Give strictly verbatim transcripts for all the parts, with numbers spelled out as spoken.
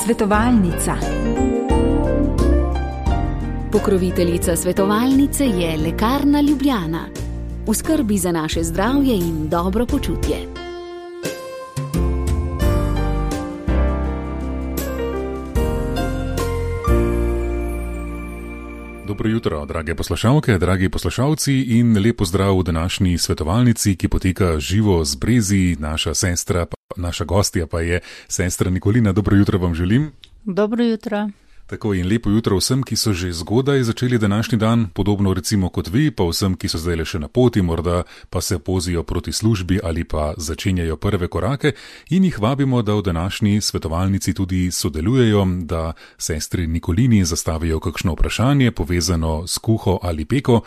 Svetovalnica. Pokroviteljica svetovalnice je Lekarna Ljubljana. V skrbi za naše zdravje in dobro počutje. Dobro jutro, drage poslušalke, dragi poslušalci in lepo zdrav v današnji svetovalnici, ki poteka živo z Brezi. Naša sestra, naša gostja pa je sestra Nikolina. Dobro jutro vam želim. Dobro jutro. Tako in lepo jutro vsem, ki so že zgodaj začeli današnji dan, podobno recimo kot vi, pa vsem, ki so zdaj le še na poti, morda pa se pozijo proti službi ali pa začenjajo prve korake in jih vabimo, da v današnji svetovalnici tudi sodelujejo, da sestri Nikolini zastavijo kakšno vprašanje povezano s kuho ali peko,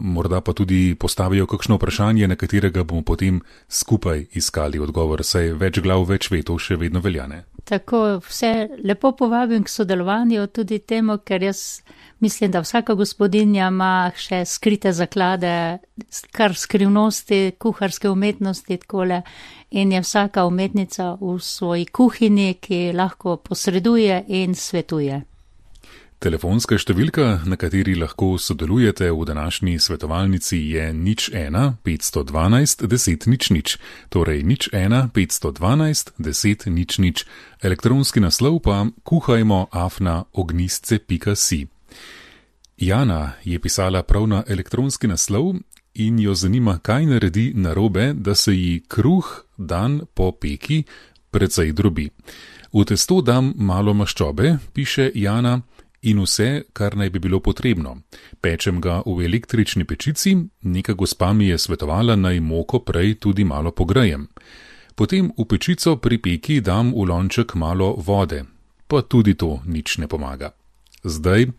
morda pa tudi postavijo kakšno vprašanje, na katerega bomo potem skupaj iskali odgovor, saj več glav, več vetov še vedno veljane. Tako, vse lepo povabim k sodelovanju tudi temu, ker jaz mislim, da vsaka gospodinja ima še skrite zaklade, kar skrivnosti, kuharske umetnosti takole, in je vsaka umetnica v svoji kuhinji, ki lahko posreduje in svetuje. Telefonska številka, na kateri lahko sodelujete v današnji svetovalnici, je nič ena petsto dvanajst deset nič nič, torej nič ena petsto dvanajst deset nič nič. Elektronski naslov pa kuhajmo afna ognistce pika si. Jana je pisala prav na elektronski naslov in jo zanima, kaj naredi narobe, da se ji kruh dan po peki precej drobi. V testo dam malo maščobe, piše Jana, in vse, kar naj bi bilo potrebno. Pečem ga v električni pečici, neka gospa mi je svetovala, naj moko prej tudi malo pogrejem. Potem v pečico pri peki dam v lonček malo vode, pa tudi to nič ne pomaga. Zdaj,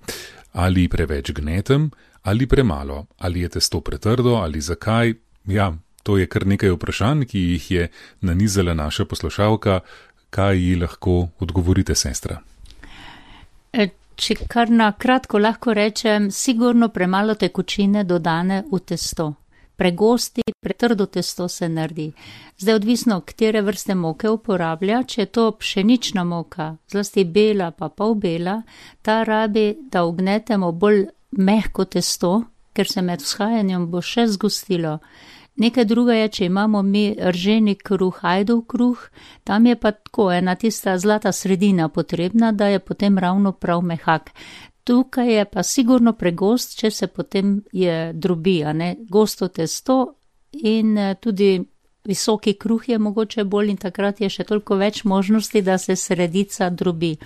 ali preveč gnetem, ali premalo, ali je testo pretrdo, ali zakaj, ja, to je kar nekaj vprašanj, ki jih je nanizala naša poslušalka. Kaj ji lahko odgovorite, sestra? E Če kar na kratko lahko rečem, sigurno premalo tekočine dodane v testo. Pregosti, pretrdo testo se naredi. Zdaj odvisno, katere vrste moke uporablja, če je to pšenična moka, zlasti bela pa polbela, ta rabi, da ugnetemo bolj mehko testo, ker se med vzhajanjem bo še zgostilo. Nekaj druga je, če imamo mi rženi kruh, ajdov kruh, tam je pa tako ena tista zlata sredina potrebna, da je potem ravno prav mehak. Tukaj je pa sigurno pregost, če se potem je drobi, a ne, gosto testo in tudi visoki kruh je mogoče bolj in takrat je še toliko več možnosti, da se sredica drobi.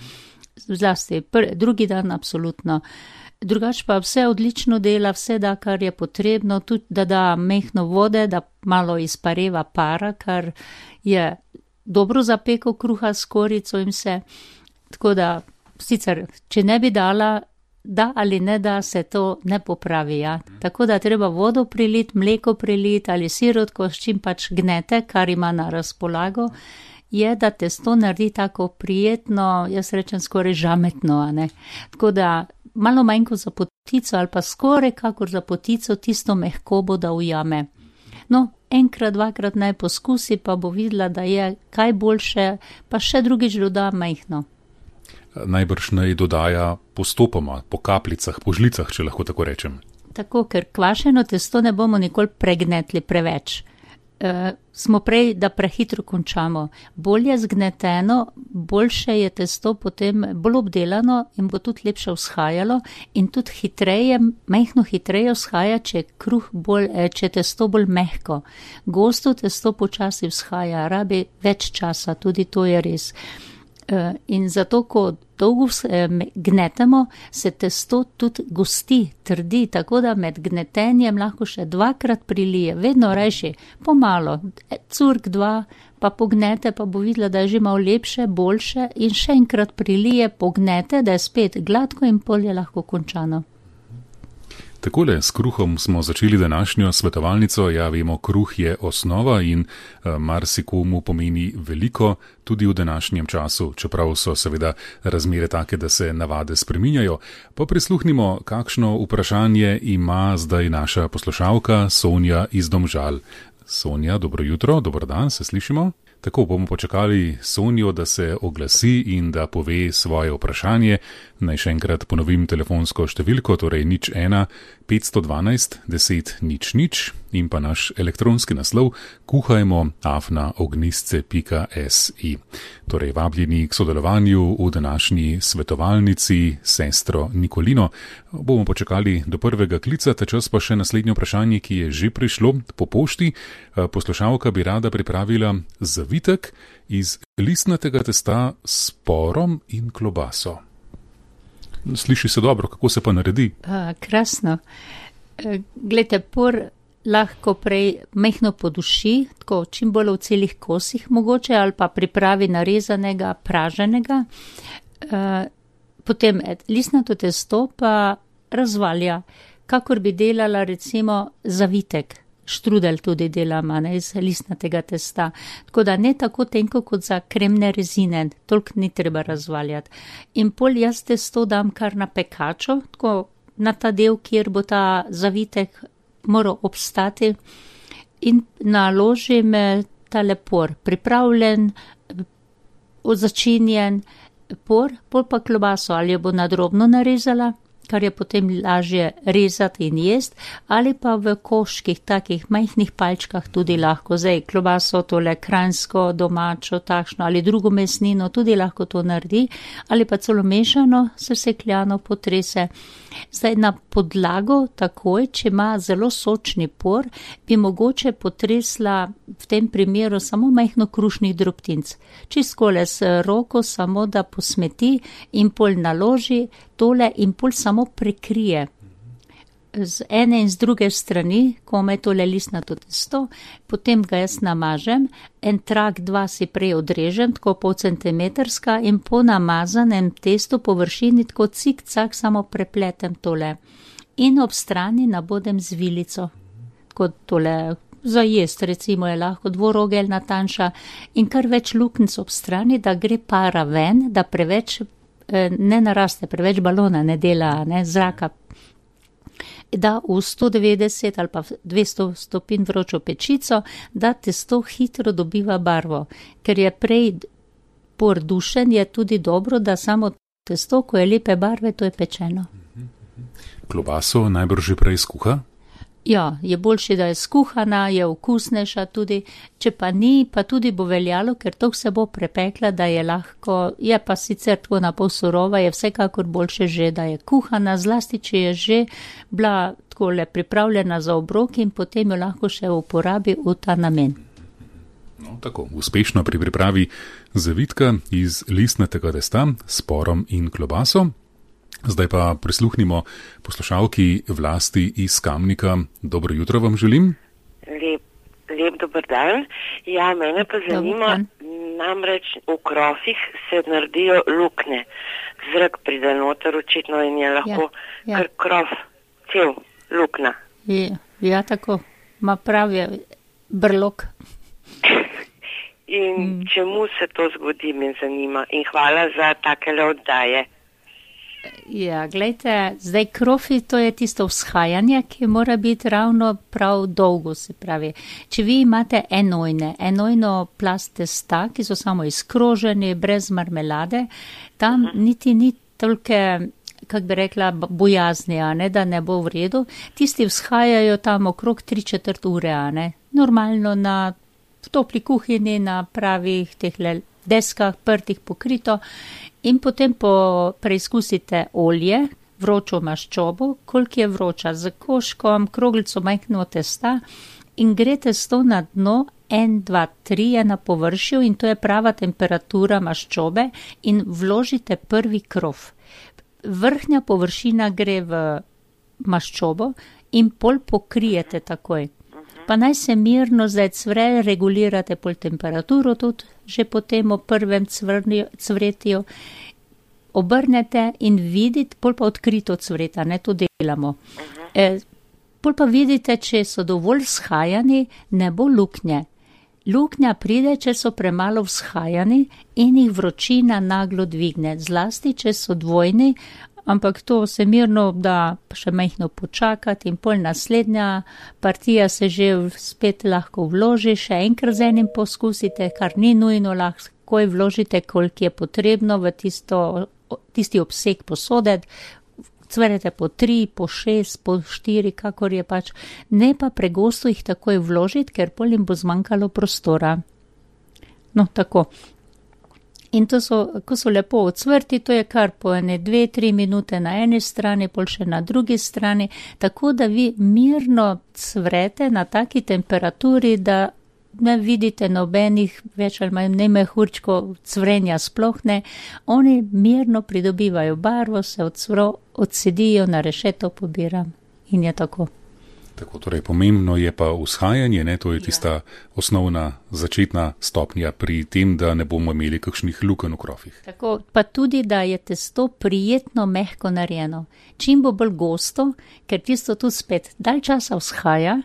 Zlasti, pr, drugi dan absolutno. Drugač pa vse odlično dela, vse da, kar je potrebno, tudi da da mehno vode, da malo izpareva para, kar je dobro za peko kruha s korico in vse. Tako da, sicer, če ne bi dala, da ali ne da, se to ne popravi, ja. Tako da treba vodo priliti, mleko priliti ali sirotko, s čim pač gnete, kar ima na razpolago, je, da testo naredi tako prijetno, jaz rečem skoraj žametno, a ne. Tako da, malo manj kot za potico ali pa skoraj kakor za potico tisto mehkobo da ujame. No, enkrat, dvakrat naj poskusi, pa bo videla, da je kaj boljše, pa še drugič doda majhno. Najbrž naj dodaja postopoma, po kapljicah, po žlicah, če lahko tako rečem. Tako, ker kvašeno testo ne bomo nikoli pregnetli preveč. Uh, smo prej, da prehitro končamo. Bolje zgneteno, boljše je testo potem bolj obdelano in bo tudi lepše vzhajalo in tudi hitreje, mehno hitreje vzhaja, če, kruh bolj, če testo bolj mehko. Gosto testo počasi vzhaja, rabi več časa, tudi to je res. Uh, in zato, ko dolgo gnetemo, se testo tudi gosti, trdi, tako da med gnetenjem lahko še dvakrat prilije, vedno rajši, pomalo, curk dva, pa pognete, pa bo videla, da je že malo lepše, boljše in še enkrat prilije, pognete, da je spet gladko in pol je lahko končano. Takole, s kruhom smo začeli današnjo svetovalnico. Ja, vemo, kruh je osnova in uh, marsikomu pomeni veliko tudi v današnjem času, čeprav so seveda razmere take, da se navade spreminjajo. Pa prisluhnimo, kakšno vprašanje ima zdaj naša poslušalka Sonja iz Domžal. Sonja, dobro jutro, dober dan, se slišimo? Tako bomo počakali Sonjo, da se oglasi in da pove svoje vprašanje. Naj še enkrat ponovim telefonsko številko, torej nič ena petsto dvanajst deset nič nič in pa naš elektronski naslov kuhajmo afna ognistce pika si. Torej vabljeni k sodelovanju v današnji svetovalnici sestro Nikolino. Bomo počakali do prvega klica, ta čas pa še naslednje vprašanje, ki je že prišlo po pošti. Poslušalka bi rada pripravila zavitek iz listnatega testa s porom in klobaso. Sliši se dobro, kako se pa naredi? A, krasno. E, glejte, por lahko prej mehno poduši, tako čim bolj v celih kosih mogoče, ali pa pripravi narezanega, praženega. E, potem listnato testo pa razvalja, kakor bi delala recimo zavitek. Štrudel tudi delama, ne, iz listnatega testa. Tako da ne tako tenko kot za kremne rezine, toliko ni treba razvaljati. In pol jaz testo dam kar na pekačo, tako na ta del, kjer bo ta zavitek moral obstati, in naložim tale por, pripravljen, začinjen por, pol pa klobaso, ali jo bo nadrobno narezala, kar je potem lažje rezati in jest, ali pa v koških, takih majhnih palčkah tudi lahko. Zdaj, klobaso, tole kranjsko, domačo, takšno ali drugo mesnino tudi lahko to naredi, ali pa celo mešano, sesekljano potrese. Zdaj, na podlago takoj, če ima zelo sočni por, bi mogoče potresla v tem primeru samo majhno krušnih drobtinc. Čiskole s roko, samo da posmeti in pol naloži tole in pol samo prekrije. Z ene in z druge strani, ko me tole listnato testo, potem ga jaz namažem, en trak, dva si prej odrežem, tako pol centimetrska, in po namazanem testu površini tako cik-cak samo prepletem tole. In ob strani nabodem z vilico, tako tole za jest, recimo je lahko dvorogeljna tanjša, in kar več luknjic ob strani, da gre para ven, da preveč ne naraste, preveč balona ne dela, ne, zraka. Da v sto devetdeset ali pa dvesto stopinj vročo pečico, da testo hitro dobiva barvo. Ker je prej por dušen, je tudi dobro, da samo testo, ko je lepe barve, to je pečeno. Klobaso najbrž že prej skuha? Ja, je boljše, da je skuhana, je okusnejša tudi, če pa ni, pa tudi bo veljalo, ker to se bo prepekla, da je lahko, je pa sicer tako na pol surova, je vsekakor boljše že, da je kuhana, zlasti, če je že bila takole pripravljena za obrok in potem jo lahko še uporabi v ta namen. No, tako, uspešno pri pripravi zavitka iz listnatega testa s porom in klobaso. Zdaj pa prisluhnimo poslušalki Vlasti iz Kamnika. Dobro jutro vam želim. Lep, lep dober dan. Ja, mene pa zanima, namreč v krofih se naredijo luknje. Zrak pride noter očitno in je lahko ja, ja. Kar krof, cel lukna. Ja, ja tako, ma pravi brlok. In mm. čemu se to zgodi, me zanima. In hvala za takele oddaje. Ja, gledajte, zdaj krofi, to je tisto vzhajanje, ki mora biti ravno prav dolgo, se pravi. Če vi imate enojne, enojno plast testa, ki so samo izkroženi, brez marmelade, tam uh-huh. niti ni tolke, kak bi rekla, bojazni, a ne, da ne bo v redu. Tisti vzhajajo tam okrog tri četrt ure, a ne. Normalno na topli kuhinji, na pravih tehle deskah, prtih pokrito. In potem po preizkusite olje, vročo maščobo, koliko je vroča, z koškom, kroglico majhno testa in gre testo na dno, en, dva, tri je na površju in to je prava temperatura maščobe in vložite prvi krof. Vrhnja površina gre v maščobo in pol pokrijete takoj. Pa naj se mirno zdaj cvre, regulirate pol temperaturo tudi, že potem o prvem cvrnju, cvretju, obrnete in vidite, pol pa odkrito cvreta, ne, to delamo. E, pol pa vidite, če so dovolj vzhajani, ne bo luknje. Luknja pride, če so premalo vzhajani in jih vročina naglo dvigne, zlasti, če so dvojni ampak to se mirno da še majhno počakati in pol naslednja partija se že spet lahko vloži, še enkrat z enim poskusite, kar ni nujno, lahko je vložite, koliko je potrebno v tisto, tisti obseg posode, cvrete po tri, po šest, po štiri, kakor je pač, ne pa pregosto jih takoj vložiti, ker pol jim bo zmanjkalo prostora. No, tako. In to so, ko so lepo odsvrti, to je kar po ene dve, tri minute na eni strani, pol še na drugi strani, tako da vi mirno cvrete na taki temperaturi, da ne vidite nobenih več ali manj ne mehurčko cvrenja sploh ne. Oni mirno pridobivajo barvo, se odsvro, odsedijo, na rešeto pobiram in je tako. Tako, torej pomembno je pa vzhajanje, ne, to je tista ja. osnovna začetna stopnja pri tem, da ne bomo imeli kakšnih lukenj v krofih. Tako, pa tudi, da je testo prijetno mehko narejeno. Čim bo bolj gosto, ker tisto tu spet dalj časa vzhaja,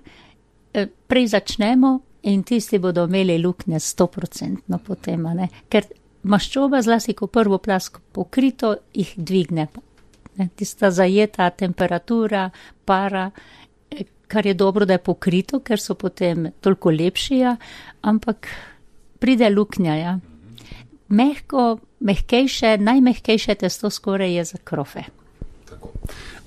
prej začnemo in tisti bodo imeli luknje sto procentno potem, ne, ker maščoba zlasti, ko prvo plast pokrito, jih dvigne. Ne, tista zajeta temperatura, para, kar je dobro, da je pokrito, ker so potem toliko lepši, ja, ampak pride luknja, ja. Mehko, mehkejše, najmehkejše testo skoraj je za krofe. Tako.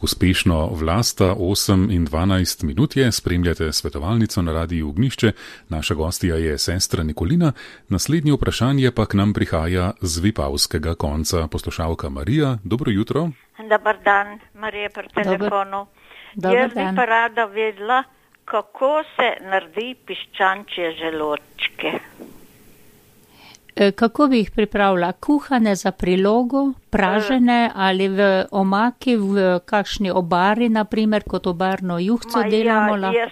Uspešno vlasta osem in dvanajst minut je, spremljate svetovalnico na Radiu Ognjišče, naša gostja je sestra Nikolina, naslednje vprašanje pa k nam prihaja z vipavskega konca, poslušalka Marija, dobro jutro. Dobar dan, Marija pri telefonu. Dobar Jaz dan. bi pa rada vedela, kako se naredi piščančje želodčke. Kako bi jih pripravila? Kuhane za prilogo, pražene ali v omaki, v kakšni obari, naprimer, kot obarno juhco delamo? Ja, jaz,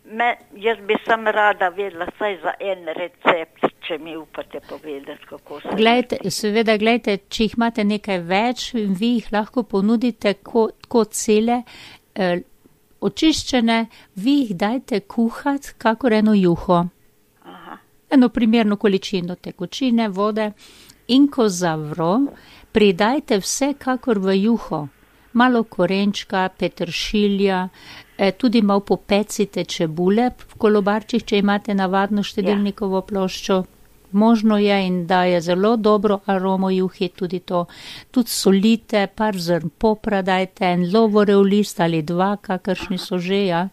me, jaz bi sam rada vedela saj za en recept, če mi upate povedati, kako se... Glejte, seveda, glejte, če jih imate nekaj več, vi jih lahko ponudite kot, kot cele, eh, očiščene, vi jih dajte kuhati kakor eno juho. Eno primerno količino tekočine, vode in ko zavro, pridajte vse kakor v juho. Malo korenčka, peteršilja, eh, tudi malo popecite čebule v kolobarčih, če imate navadno štedilnikovo ploščo. Možno je in daje zelo dobro aromo juhi tudi to. Tudi solite, par zrn popra dajte, en lovorev list ali dva, kakršni so že, ja.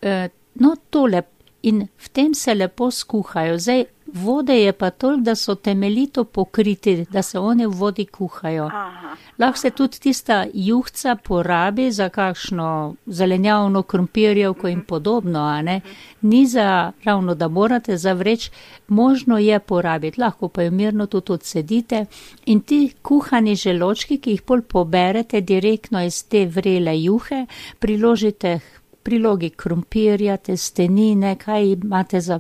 Eh, no, tole. In v tem se lepo skuhajo. Zdaj, vode je pa toliko, da so temeljito pokriti, da se one v vodi kuhajo. Aha. Lahko se tudi tista juhca porabi za kakšno zelenjavno, krompirjevko in podobno, a ne? Ni za ravno, da morate zavreči, možno je porabiti, lahko pa jo mirno tudi odsedite. In ti kuhani želočki, ki jih pol poberete direktno iz te vrele juhe, priložite prilogi krompirja, testenine, kaj imate za,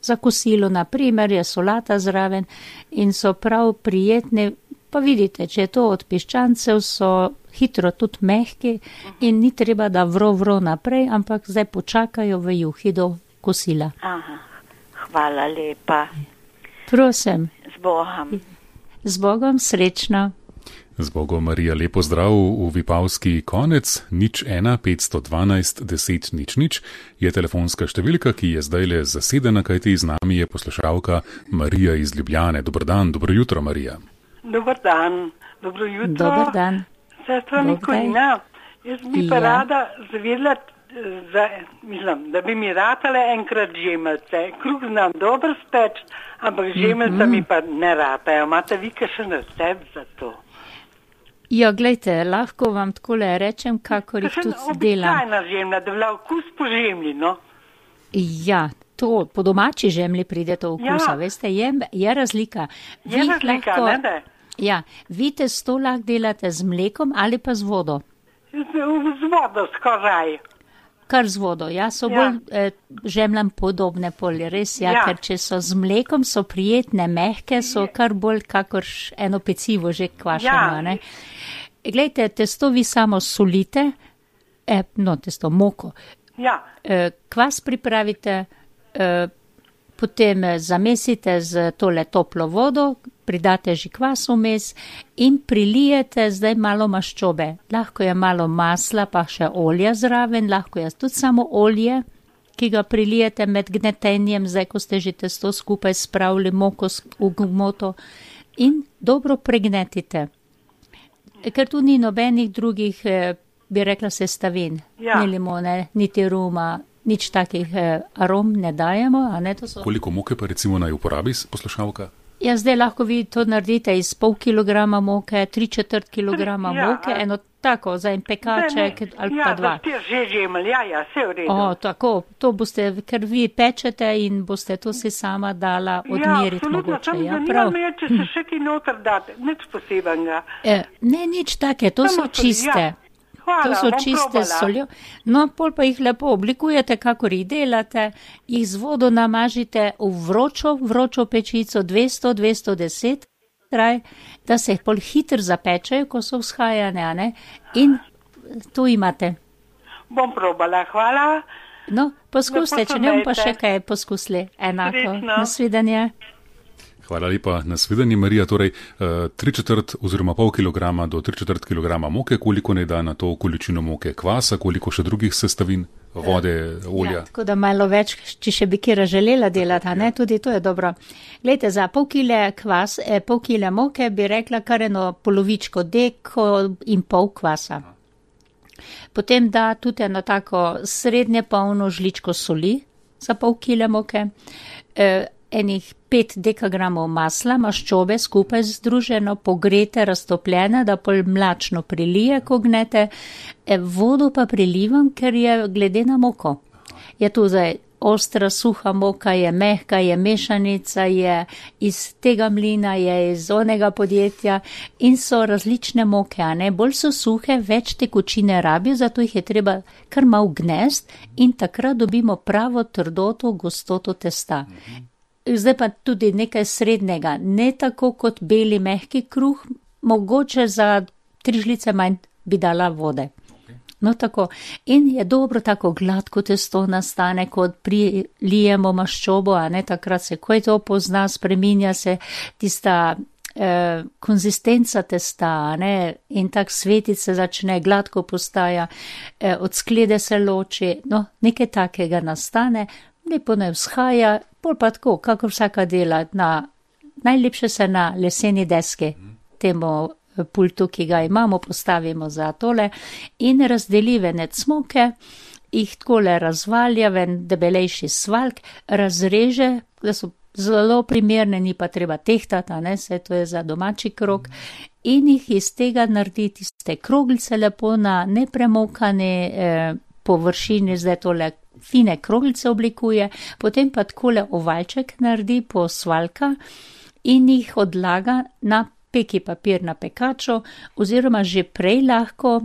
za kosilo, naprimer je solata zraven in so prav prijetni. Pa vidite, če je to od piščancev, so hitro tudi mehki in ni treba, da vro vro naprej, ampak zdaj počakajo v juhi do kosila. Aha, hvala lepa. Prosim. Z Bogom. Z Bogom, srečno. Z Bogom, Marija, lepo zdrav v vipavski konec, nič ena, petsto dvanajst, deset, nič, nič, je telefonska številka, ki je zdajle zasedena, kajti z nami je poslušalka Marija iz Ljubljane. Dobar dan, dobro jutro, Marija. Dobar dan, dobro jutro. Dobar dan. Sestra Nikolina, jaz bi pa ja. rada zvedela, za, mislim, da bi mi ratale enkrat žemelce. Kruh znam dobro speč, ampak žemelca mm-hmm. mi pa ne ratajo. Imate vi kakšen recept za to? Ja, glejte, lahko vam takole rečem, kakor jih tudi delam. Običajna žemlja, da vla vkus po žemlji, no? Ja, to po domači žemlji pride to vkusa, ja. Veste, je, je razlika. Je vi razlika, lahko, ne da? Ja, vi testo lahko delate z mlekom ali pa z vodo? Z, z vodo, skoraj. Kar z vodo, ja, so ja. bolj eh, žemljam podobne polje, res, ja, ja, ker če so z mlekom, so prijetne, mehke, so kar bolj kakor eno pecivo že kvašeno, ja. ne. Glejte, testo vi samo solite, eh, no, testo moko, ja. eh, kvas pripravite, eh, potem zamesite z tole toplo vodo, pridate že kvas vmes in prilijete zdaj malo maščobe. Lahko je malo masla, pa še olja zraven, lahko je tudi samo olje, ki ga prilijete med gnetenjem, zdaj ko ste že testo skupaj spravili, moko v gmoto in dobro pregnetite. Ker tu ni nobenih drugih, bi rekla, sestavin, ja. Ni limone, niti ruma, nič takih arom ne dajemo. A ne, to so... Koliko moke pa recimo naj uporabi poslušalka? Ja, zdaj lahko vi to naredite iz pol kilograma moke, tri četrt kilograma ja, moke, a... eno tako, za en pekaček ne, ali ja, pa dva. Ja, že žemelj, ja, ja, vse v redu. O, tako, to boste, ker vi pečete in boste to si sama dala odmeriti ja, mogoče. Sam Ja, prav. Me, če se še kaj noter date, nič posebenega. E, ne, nič take, to Samo so čiste. Ja. Hvala, to so čiste s soljo. No, pol pa jih lepo oblikujete, kakor jih delate, jih z vodo namažite v vročo, vročo pečico dvesto do dvesto deset, kraj, da se jih pol hitro zapečejo, ko so vzhajane, a ne? In to imate. Bom probala, hvala. No, poskuste, če ne bom pa še kaj poskusili. Enako. Srečno. Nasvidenje. Hvala lepa, nasvidenje, Marija. Torej, tri četrt oziroma pol kilograma do tri četrt kilograma moke, koliko ne da na to količino moke kvasa, koliko še drugih sestavin, vode, olja? Ja, tako da malo več, če še bi kira želela delati, a ne, tudi to je dobro. Glejte, za pol kile kvas, eh, pol kile moke bi rekla kar eno polovičko deko in pol kvasa. Potem da tudi eno tako srednje polno žličko soli za pol kile moke, eh, enih pet dekagramov masla, maščobe skupaj združeno, pogrete, raztopljene, da pol mlačno prilije, ko gnete. E, vodo pa prilivam, ker je glede na moko. Je tu zdaj ostra, suha moka, je mehka, je mešanica, je iz tega mlina, je iz onega podjetja in so različne moke, a ne, bolj so suhe, več tekočine rabijo, zato jih je treba kar malo gnest in takrat dobimo pravo trdoto, gostoto testa. Zdaj pa tudi nekaj srednjega, ne tako kot beli mehki kruh, mogoče za tri žlice manj bi dala vode. No tako, in je dobro tako gladko testo nastane, kot prilijemo maščobo, a ne, takrat se ko je to pozna, spreminja se tista eh, konzistenca testa, a ne, in tak svetit se začne, gladko postaja, eh, od sklede se loči, no, nekaj takega nastane, lepo ne vzhaja, pol pa tako, kako vsaka dela, na, najlepše se na leseni deski, temu pultu, ki ga imamo, postavimo za tole in razdeli venec moke, jih takole razvalja ven debelejši svalk, razreže, da so zelo primerne, ni pa treba tehtati, a ne, se to je za domači krog, in jih iz tega naredi tiste kroglice lepo na nepremokane eh, površini, zdaj tole fine kroglice oblikuje, potem pa takole ovalček naredi po svalka in jih odlaga na peki papir na pekačo, oziroma že prej lahko,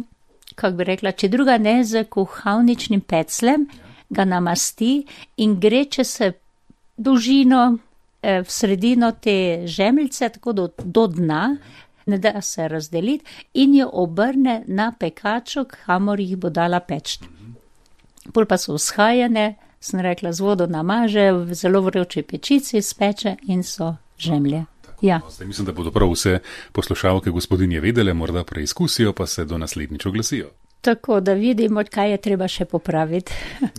kako bi rekla, če druga ne, z kuhalničnim peclem ga namasti in gre, če se dolžino eh, v sredino te žemljice, tako do, do dna, ne da se razdeliti in jo obrne na pekačo, kamor jih bo dala peč. Pol pa so vzhajane, sem rekla, z vodo namaže, v zelo vroči pečici speče in so žemlje. Ja. Zdaj mislim, da bodo prav vse poslušalke gospodinje vedele, morda preizkusijo, pa se do naslednjič oglasijo. Tako, da vidimo, kaj je treba še popraviti.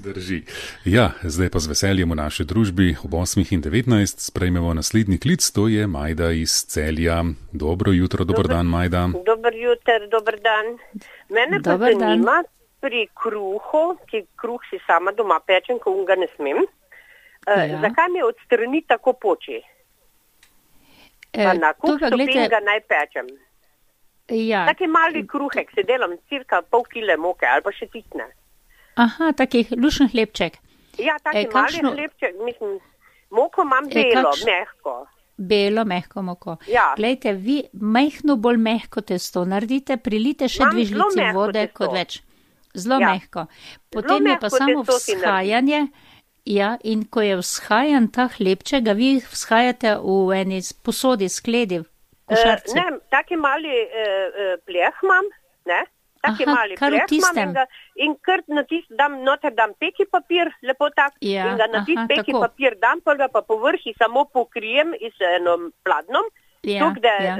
Drži. Ja, zdaj pa z veseljem v naši družbi ob osmih in devetnajst sprejmemo naslednji klic, to je Majda iz Celja. Dobro jutro, dober, dober dan, Majda. Dober jutro, dober dan. Mene pa dober zanima dan. Pri kruhu, ki kruh si sama doma pečem, ko ga ne smem, ja. uh, zakaj mi odstrani tako poči? E, pa na kuh pa, stopin glede... ga naj pečem. Ja. Taki mali kruhek, se delam cirka pol kile moke ali pa še tisne. Aha, takih lušen hlebček. Ja, taki e, mali kakšno... hlebček, mislim, moko imam belo, e, kakš... mehko. Belo, mehko moko. Ja. Glejte, vi majhno bolj mehko testo naredite, prilite še Mam dve žlici vode testo. Kot več. Zelo ja. mehko. Potem zelo je pa samo vzhajanje, ja, in ko je vzhajan ta hlebček, ga vi vzhajate v eni posodi, skledi, košarci. Uh, ne, taki mali uh, pleh imam, ne, taki Aha, mali kar v pleh imam in, ga, in kar na tist dam, noter dam peki papir, lepo tak, ja, in ga na tist aha, peki tako. papir dam, pa ga pa povrhi samo pokrijem iz enom pladnom ja, tuk, da, ja.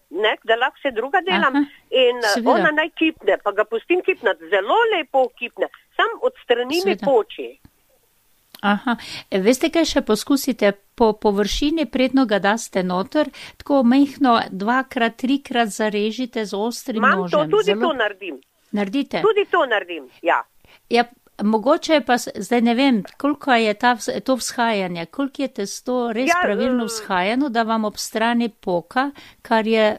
ne, da lahko vse druga delam. Aha, in seveda. Ona naj kipne, pa ga pustim kipnati, zelo lepo kipne, sam od strani mi poči. Aha, veste, kaj še poskusite? Po površini predno ga daste noter, tako mehno dvakrat, trikrat zarežite z ostrim Mam nožem. Mam to, tudi Zelo... to naredim. Naredite? Tudi to naredim, ja. Ja, mogoče pa, zdaj ne vem, koliko je ta, to vzhajanje, koliko je testo res ja, pravilno vzhajano, da vam ob strani poka, kar je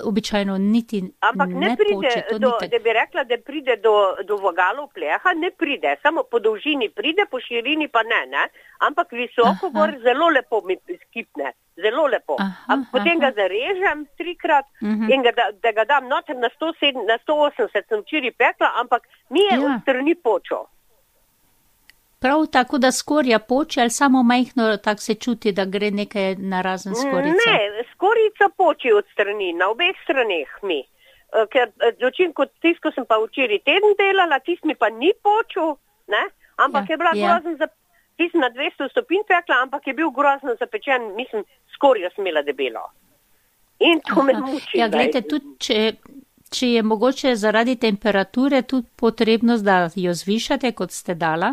običajno niti ampak ne, ne pride poče. Do, da bi rekla, da pride do, do vogalov pleha, ne pride, samo po dolžini pride, po širini pa ne, ne? Ampak visoko aha. Gor zelo lepo mi skipne, zelo lepo. Aha, potem aha. Ga zarežem trikrat uh-huh. in ga, da, da ga dam noter na sto sedem, na sto osemdeset sem včeraj pekla, ampak mi je ja. Od strani počo. Prav tako, da skorja poče, ali samo majhno tak se čuti, da gre nekaj na razen skorica? Ne, skorica poči od strani, na obeh straneh mi. Ker dočim, kot tisto sem pa včeraj teden delala, tist mi pa ni počel, ne? Ampak ja, je bila ja. Grozno za, tist na dvesto stopinj pekla, ampak je bil grozno zapečen, mislim, skorja sem imela debelo. In to aha. Me muči. Ja, gledajte, tudi če... Če je mogoče zaradi temperature tudi potrebno, da jo zvišate, kot ste dala,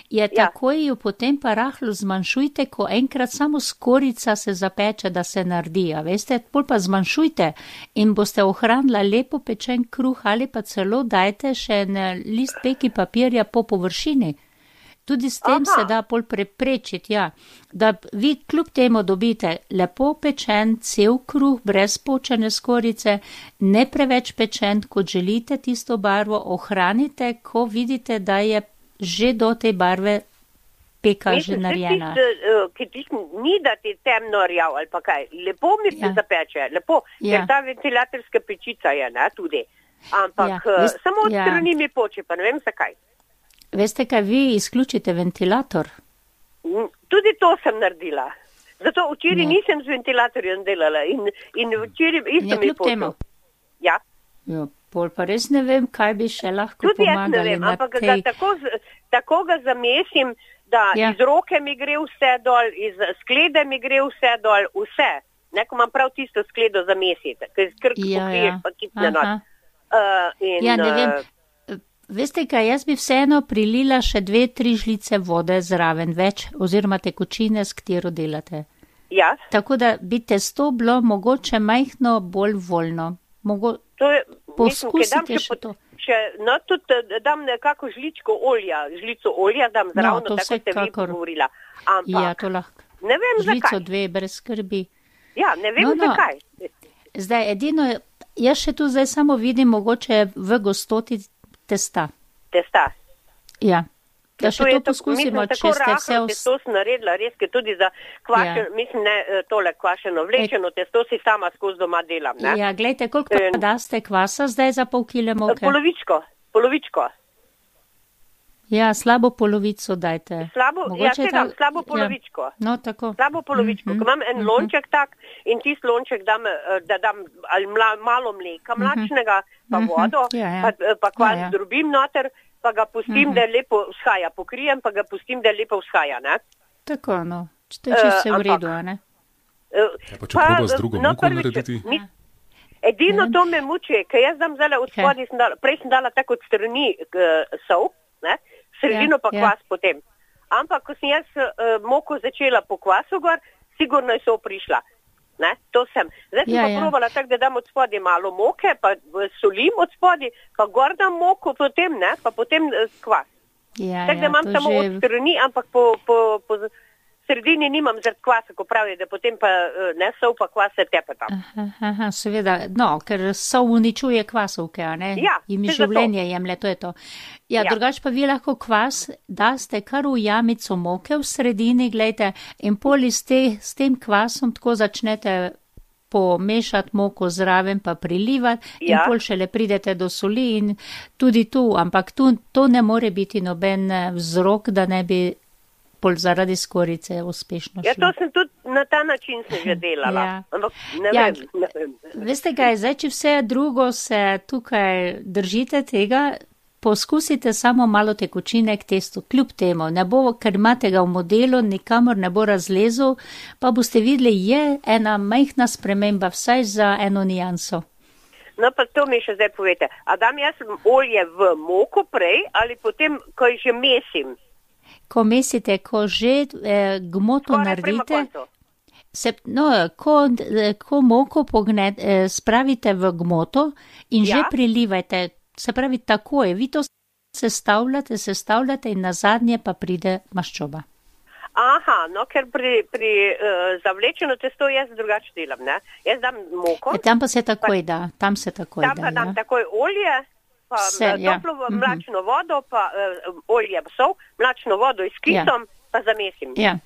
je ja. Takoj jo potem pa rahlo zmanjšujte, ko enkrat samo skorica se zapeče, da se naredi. A veste, pol pa zmanjšujte in boste ohranila lepo pečen kruh ali pa celo dajte še en list peki papirja po površini. Tudi s tem aha. Se da pol preprečiti, ja, da vi kljub temu dobite lepo pečen, cel kruh, brez počene skorice, ne preveč pečen, kot želite tisto barvo, ohranite, ko vidite, da je že do te barve peka mislim, že narejena. Ki ti ni da ti temno rjav ali pa kaj, lepo mi ja. Se zapeče, lepo, ja. Ker ta ventilatorska pečica je, ne, tudi, ampak ja. Vest, samo od ja. Strani mi poče, pa ne vem zakaj. Veste, kaj vi izključite ventilator? Tudi to sem naredila. Zato včeraj ja. Nisem z ventilatorjem delala in, in včeraj isto ja, mi počel. Ja. Ja, pol pa res ne vem, kaj bi še lahko tudi pomagali. Tudi jaz ne vem, ampak tej... ga tako, tako ga zamesim, da ja. Iz roke mi gre vse dol, iz sklede mi gre vse dol, vse. Neko imam prav tisto skledo zamesiti, ker iz krk ja, pokriješ ja. Pa kitne not. Uh, in, ja, ne vem. Veste kaj, jaz bi vseeno prilila še dve, tri žlice vode zraven več, oziroma tekočine, s katero delate. Ja. Tako da bi testo bilo mogoče majhno bolj voljno. Mogo... To je, poskusite mislim, še to. Še, no, tudi dam nekako žličko olja, žlico olja dam zravno, no, tako ste vi govorila. Ampak, ja, to lahko. Ne vem žlico zakaj. Dve, brez skrbi. Ja, ne vem no, no. Zakaj. Zdaj, edino, jaz še tu zdaj samo vidim mogoče v gostoti testa. Testa. Ja. Da še to, to poskusimo, mislim, če ste vse... Vs... Testo sem naredila, res, ker tudi za kvašen, ja. Mislim, ne tole kvašeno vlečeno, e... testo si sama skozi doma delam, ne? Ja, gledajte, koliko pa e... daste kvasa zdaj za pol kile moke? Polovičko, polovičko. Ja, slabo polovico dajte. Slabo, ja, sedam, ta... slabo polovičko. Ja. No, tako. Slabo polovičko, mm-hmm. Ko imam en mm-hmm. lonček tak in tist lonček dam, da dam ali mla, malo mleka mlačnega, mm-hmm. pa vodo, ja, ja. pa, pa kvas ja, ja. Drobim noter, pa ga pustim, mm-hmm. Da lepo vzhaja, pokrijem, pa ga pustim, da lepo vzhaja, ne? Tako, no, to je čisto uh, v redu, a ne? Uh, ja, pa če proba z drugo no, moko narediti? Mi, edino to me muči, ker jaz dam zdaj od spodaj, okay. Prej sem dala tako od strani uh, sol, ne? Sredino ja, pa kvas ja. Potem. Ampak, ko sem jaz uh, moko začela po kvasu gor, sigurno je so prišla. Ne? To sem. Zdaj sem ja, pa ja. Probala tako, da dam od spodaj malo moke, pa solim od spodaj, pa gor dam moko, potem ne, pa potem uh, kvas. Ja, tako, da ja, imam samo že... od strani, ampak po, po, po sredini nimam zaradi kvasa, ko pravijo, da potem pa uh, ne sol pa kvas se tepe tam. Aha, aha, seveda, no, ker sol uničuje kvasovke, a ne? Ja, in mi življenje jemlje, to je to. Ja, ja. Drugač pa vi lahko kvas daste kar v jamico moke v sredini, gledajte, in poli s, te, s tem kvasom tako začnete pomešati moko zraven pa prilivati ja. In pol šele pridete do soli in tudi tu, ampak tu to ne more biti noben vzrok, da ne bi pol zaradi skorice uspešno šlo. Ja, to sem tudi na ta način se že delala. Ja. Ampak ne ja. vem. Ne vem. Veste kaj, zdaj, če vse drugo se tukaj držite tega, poskusite samo malo tekočine k testu, kljub temu, ne bo, ker imate ga v modelu, nikamor ne bo razlezel, pa boste videli, je ena majhna sprememba, vsaj za eno nijanso. No, pa to mi še zdaj povete. A dam jaz olje v moko prej ali potem, ko že mesim? Ko mesite, ko že eh, gmoto Skoraj naredite, se, no, ko, ko moko pogne, eh, spravite v gmoto in ja. že prilivajte, se pravi takoj, vi to sestavljate, sestavljate in nazadnje pa pride maščoba. Aha, no, ker pri, pri uh, zavlečeno testo jaz drugače delam, ne? Jaz dam moko. E, tam pa se takoj pa, da, tam se takoj tam da. Tam pa dam ja. takoj olje, pa Vse, toplo ja. mlačno vodo, pa uh, olje pa sol, mlačno vodo iz kisom, ja. pa zamesim. Ja,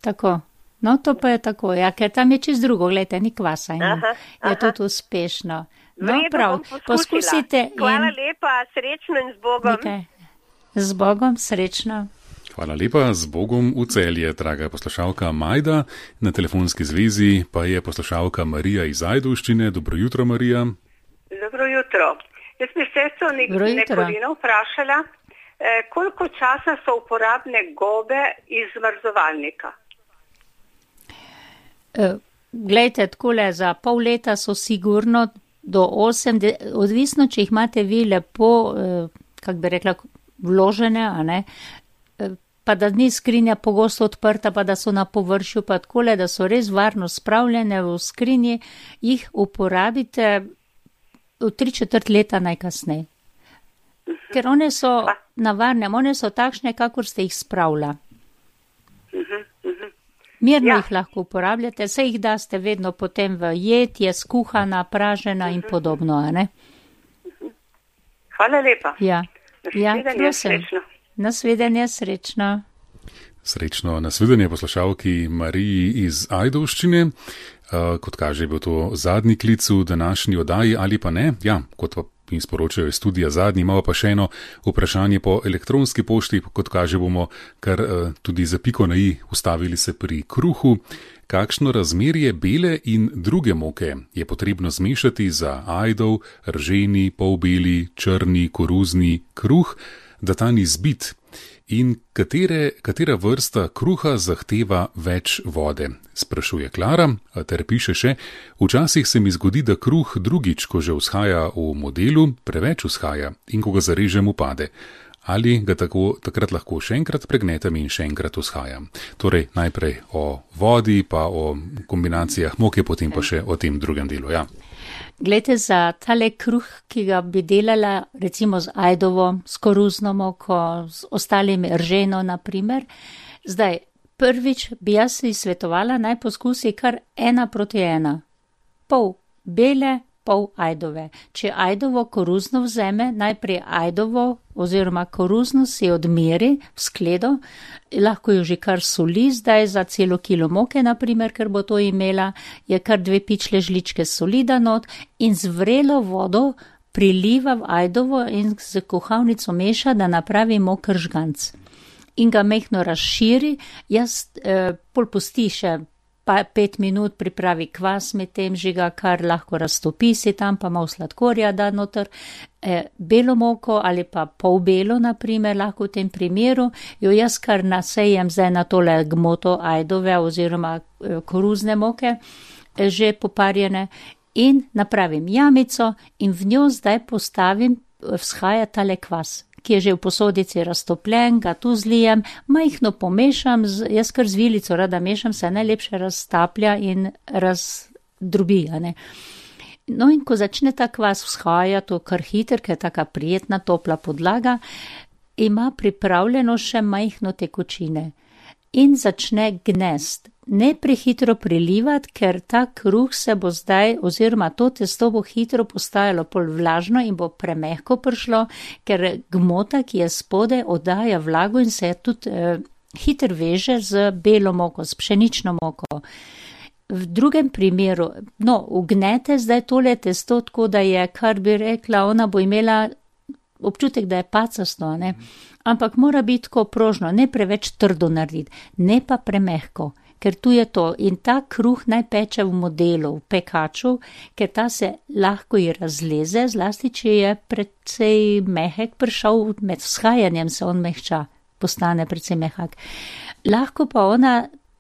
tako. No, to pa je tako, ja, ker tam je čist drugo, gledajte, ni kvasa in aha, je aha. tudi uspešno. No, Vredo prav, poskusite. Hvala in... lepa, srečno in z Bogom. Nekaj. Z Bogom, srečno. Hvala lepa, z Bogom v Celje, draga poslušalka Majda. Na telefonski zvezi pa je poslušalka Marija iz Ajdovščine. Dobro jutro, Marija. Dobro jutro. Jaz bi sestro nekolino vprašala, eh, koliko časa so uporabne gobe iz zmrzovalnika? Eh, glejte, takole, za pol leta so sigurno do osem, de, odvisno, če jih imate vi lepo, eh, kak bi rekla, vložene, a ne, pa da ni skrinja pogosto odprta, pa da so na površju, pa takole, da so res varno spravljene v skrinji, jih uporabite v tri četrt leta najkasneje. Ker one so navarne, one so takšne, kakor ste jih spravila. Mirno ja. jih lahko uporabljate, se jih daste vedno potem v jed, je skuhana, pražena in podobno, a ne? Hvala lepa. Ja. Ja, prosim. Nasvidenje, srečno. Srečno nasvidenje poslušalki Mariji iz Ajdovščine. Uh, kot kaže, je bil to zadnji klic v današnji oddaji ali pa ne. Ja, kot pa in sporočajo iz studija zadnji, imamo pa še eno vprašanje po elektronski pošti. Kot kaže, bomo kar uh, tudi za piko na i ustavili se pri kruhu. Kakšno razmerje bele in druge moke je potrebno zmešati za ajdov, rženi, polbeli, črni, koruzni kruh, da ta ni zbit, in katere, katera vrsta kruha zahteva več vode, sprašuje Klara, ter piše še, včasih se mi zgodi, da kruh drugič, ko že vzhaja v modelu, preveč vzhaja in ko ga zarežem upade. Ali ga tako, takrat lahko še enkrat pregnetem in še enkrat vzhajam. Torej, najprej o vodi, pa o kombinacijah moke, potem pa še o tem drugem delu, ja. Glejte, za tale kruh, ki ga bi delala recimo z ajdovo, s koruzno moko, z ostalimi rženo, naprimer, zdaj, prvič bi jaz si svetovala, naj poskusi kar ena proti ena. Pol bele, pol ajdove. Če ajdovo koruzno vzeme, najprej ajdovo oziroma koruzno si odmeri v skledo, lahko jo že kar soli, zdaj za celo kilo moke, naprimer, ker bo to imela, je kar dve pičle žličke soli da not in z vrelo vodo priliva v ajdovo in z kuhalnico meša, da napravi moker žganc. In ga mehno razširi, jaz eh, pol pusti še pa pet minut pripravi kvas med tem, žiga kar lahko raztopi si tam, pa malo sladkorja da noter, e, belo moko ali pa pol belo, naprimer, lahko v tem primeru, jo jaz kar nasejem zdaj na tole gmoto ajdove oziroma e, koruzne moke, e, že poparjene, in napravim jamico in v njo zdaj postavim, vzhaja tale kvas, ki je že v posodici raztopljen, ga tu zlijem, majhno pomešam, z, jaz kar z vilico rada mešam, se najlepše raztaplja in razdrobi. No in ko začne ta kvas vzhaja, to kar hiter, ker je taka prijetna, topla podlaga, ima pripravljeno še majhno tekočine in začne gnest. Ne prehitro prilivati, ker ta kruh se bo zdaj, oziroma to testo bo hitro postajalo pol vlažno in bo premehko prišlo, ker gmota, ki je spode, oddaja vlago in se tudi eh, hitro veže z belo moko, s pšenično moko. V drugem primeru, no, ugnete zdaj tole testo tako, da je, kar bi rekla, ona bo imela občutek, da je pacasto, ne? Ampak mora biti tako prožno, ne preveč trdo narediti, ne pa premehko. ker tu je to. In ta kruh naj peče v modelu, v pekaču, ker ta se lahko i razleze, zlasti, če je precej mehek prišel, med vzhajanjem se on mehča, postane precej mehak. Lahko pa ona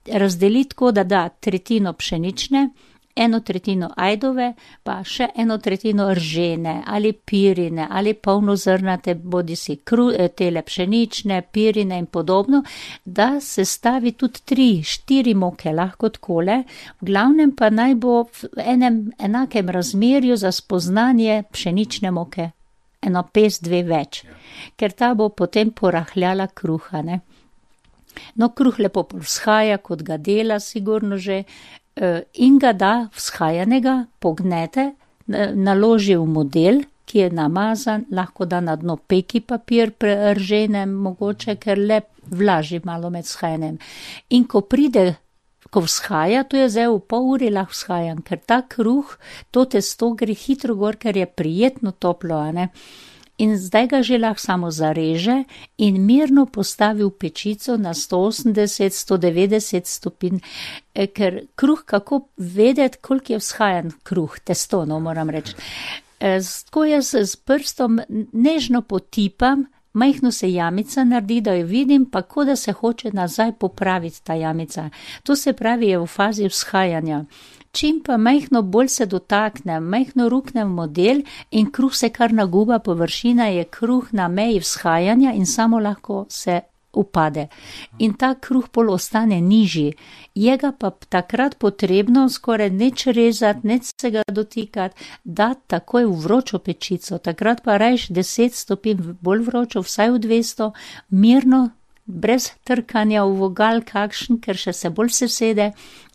razdeli tako, da da tretjino pšenične, eno tretjino ajdove, pa še eno tretjino ržene ali pirine ali polnozrnate, bodi si kru, tele pšenične, pirine in podobno, da se stavi tudi tri, štiri moke lahko takole, v glavnem pa naj bo v enem enakem razmerju za spoznanje pšenične moke, eno pest, dve več, ker ta bo potem porahljala kruha, ne. No, kruh lepo vzhaja, kot ga dela sigurno že, in ga da vzhajanega, pognete, naloži v model, ki je namazan, lahko da na dno peki papir preržene, mogoče, ker le vlaži malo med vzhajanjem. In ko pride, ko vzhaja, to je zdaj v pol uri lahko vzhajan, ker ta kruh, to testo gre hitro gor, ker je prijetno toplo, a ne. In zdaj ga že lahko samo zareže in mirno postavi v pečico na sto osemdeset, sto devetdeset stopinj, ker kruh, kako vedeti, koliko je vzhajan kruh, testo, no, moram reči. Tako jaz s prstom nežno potipam, majhno se jamica naredi, da jo vidim, pa ko da se hoče nazaj popraviti ta jamica. To se pravi, je v fazi vzhajanja. Čim pa majhno bolj se dotakne, majhno rukne v model in kruh se kar naguba, površina je kruh na meji vzhajanja in samo lahko se upade. In ta kruh pol ostane nižji. Je ga pa takrat potrebno skoraj neč rezati, neč se ga dotikati, dati takoj v vročo pečico. Takrat pa rajš deset stopinj bolj vročo, vsaj v dvesto, mirno, brez trkanja v vogal kakšen, ker še se bolj sesede,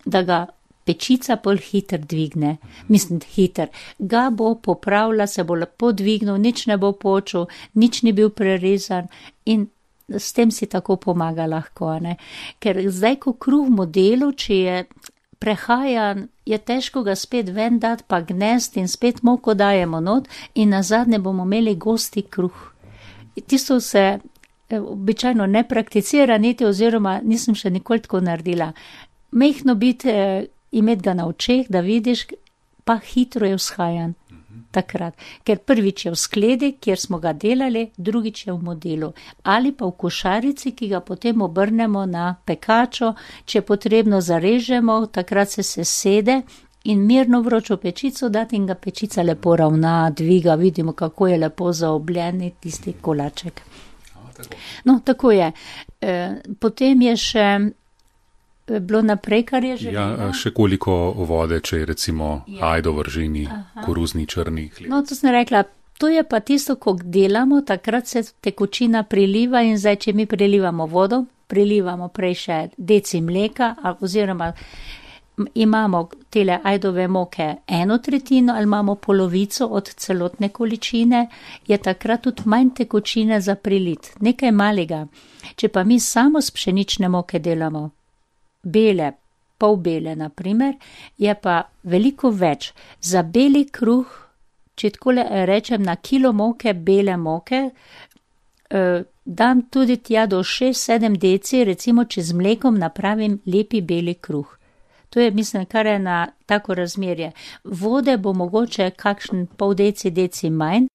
da ga pečica bolj hiter dvigne, mislim hiter, ga bo popravila, se bo lepo dvignil, nič ne bo počel, nič ni bil prerezan in s tem si tako pomaga lahko, ne. Ker zdaj, ko kruh v modelu, če je prehajan, je težko ga spet ven dati, pa gnest in spet moko dajemo not in nazadnje bomo imeli gosti kruh. Tisto se običajno ne prakticira niti oziroma nisem še nikoli tako naredila. Mehno biti, imeti ga na očeh, da vidiš, pa hitro je vzhajan takrat. Ker prvič je v skledi, kjer smo ga delali, drugič je v modelu. Ali pa v košarici, ki ga potem obrnemo na pekačo, če potrebno zarežemo, takrat se sesede in mirno vročo pečico dati in ga pečica lepo ravna, dviga, vidimo, kako je lepo zaobljen tisti kolaček. No, tako je. E, potem je še bilo naprej, kar je že. Ja, še koliko vode, če je recimo ja. Ajdo, vržini, koruzni, črni hljeb. No, to sem rekla, to je pa tisto, ko delamo, takrat se tekočina priliva in zdaj, če mi prilivamo vodo, prilivamo prej še deci mleka, oziroma imamo tele ajdove moke eno tretjino ali imamo polovico od celotne količine, je takrat tudi manj tekočine za prilit, nekaj malega. Če pa mi samo s pšenične moke delamo, bele, pol bele, na primer, je pa veliko več. Za beli kruh, če takole rečem, na kilo moke, bele moke, eh, dam tudi tja do šest sedem deci, recimo, če z mlekom napravim lepi beli kruh. To je, mislim, kar je na tako razmerje. Vode bo mogoče kakšen pol deci, deci manj,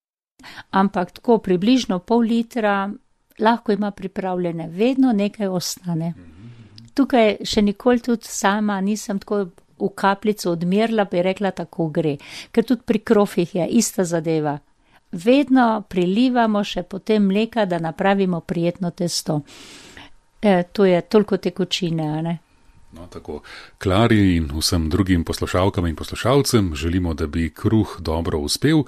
ampak tako približno pol litra lahko ima pripravljene, vedno nekaj ostane. Tukaj še nikoli tudi sama nisem tako v kapljico odmerila, bi rekla, tako gre. Ker tudi pri krofih je ista zadeva. Vedno prilivamo še potem mleka, da napravimo prijetno testo. E, to je toliko tekočine, a ne? No, tako. Klari in vsem drugim poslušalkam in poslušalcem želimo, da bi kruh dobro uspel,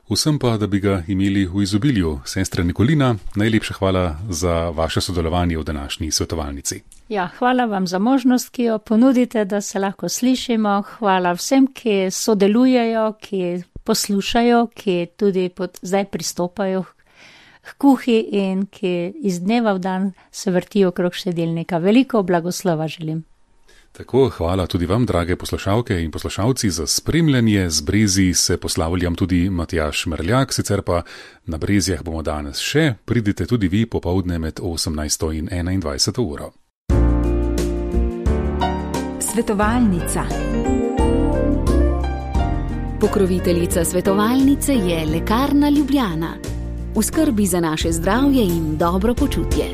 vsem pa, da bi ga imeli v izobilju. Sestra Nikolina, najlepša hvala za vaše sodelovanje v današnji svetovalnici. Ja, hvala vam za možnost, ki jo ponudite, da se lahko slišimo. Hvala vsem, ki sodelujejo, ki poslušajo, ki tudi pod, zdaj pristopajo k kuhi in ki iz dneva v dan se vrtijo okrog štedilnika. Veliko blagoslova želim. Tako, hvala tudi vam, drage poslušalke in poslušalci, za spremljanje. Z Brezij se poslavljam tudi Matjaž Merljak, sicer pa na Brezjah bomo danes še. Pridite tudi vi popoldne med osemnajsto in enaindvajseto uro. Svetovalnica. Pokroviteljica svetovalnice je Lekarna Ljubljana. V skrbi za naše zdravje in dobro počutje.